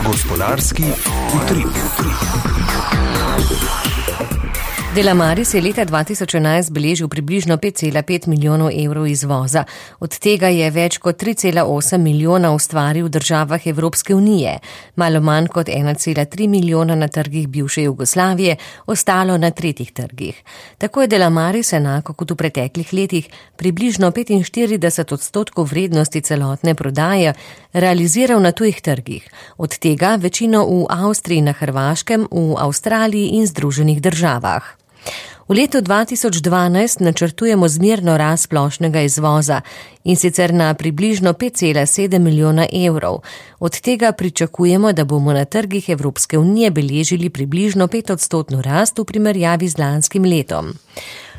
Gospodarski utrip. Delamaris je leta 2011 beležil približno 5,5 milijonov evrov izvoza. Od tega je več kot 3,8 milijona ustvaril v državah Evropske unije, malo manj kot 1,3 milijona na trgih bivše Jugoslavije, ostalo na tretjih trgih. Tako je Delamaris enako kot v preteklih letih približno 45% vrednosti celotne prodaje realiziral na tujih trgih, od tega večino v Avstriji, na Hrvaškem, v Avstraliji in Združenih državah. V letu 2012 načrtujemo zmerno rast splošnega izvoza, in sicer na približno 5,7 milijona evrov. Od tega pričakujemo, da bomo na trgih Evropske unije beležili približno 5% rast v primerjavi z lanskim letom.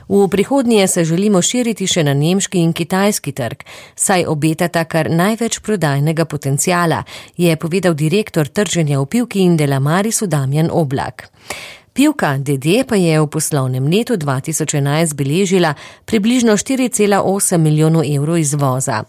V prihodnje se želimo širiti še na nemški in kitajski trg, saj obetata kar največ prodajnega potencijala, je povedal direktor trženja v Pivki in Delamarisu Damjan Oblak. Pivka DD pa je v poslovnem letu 2011 beležila približno 4,8 milijonov evrov izvoza.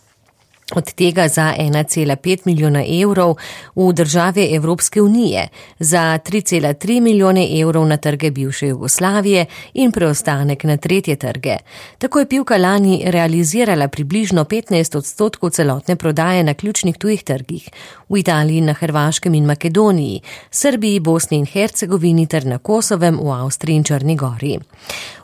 Od tega za 1,5 milijona evrov v države Evropske unije, za 3,3 milijone evrov na trge bivše Jugoslavije in preostanek na tretje trge. Tako je Pivka lani realizirala približno 15% celotne prodaje na ključnih tujih trgih, v Italiji, na Hrvaškem in Makedoniji, Srbiji, Bosni in Hercegovini ter na Kosovem, v Avstriji in Črni Gori.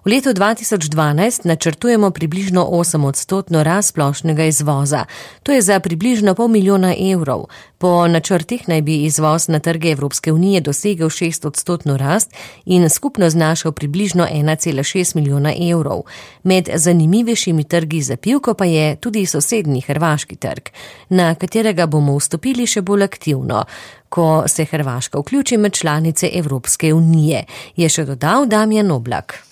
V letu 2012 načrtujemo približno 8% rast splošnega izvoza. To je za približno pol milijona evrov. Po načrtih naj bi izvoz na trge Evropske unije dosegel 6% rast in skupno znašal približno 1,6 milijona evrov. Med zanimivejšimi trgi za Pivko pa je tudi sosednji hrvaški trg, na katerega bomo vstopili še bolj aktivno, ko se Hrvaška vključi med članice Evropske unije, je še dodal Damjan Oblak.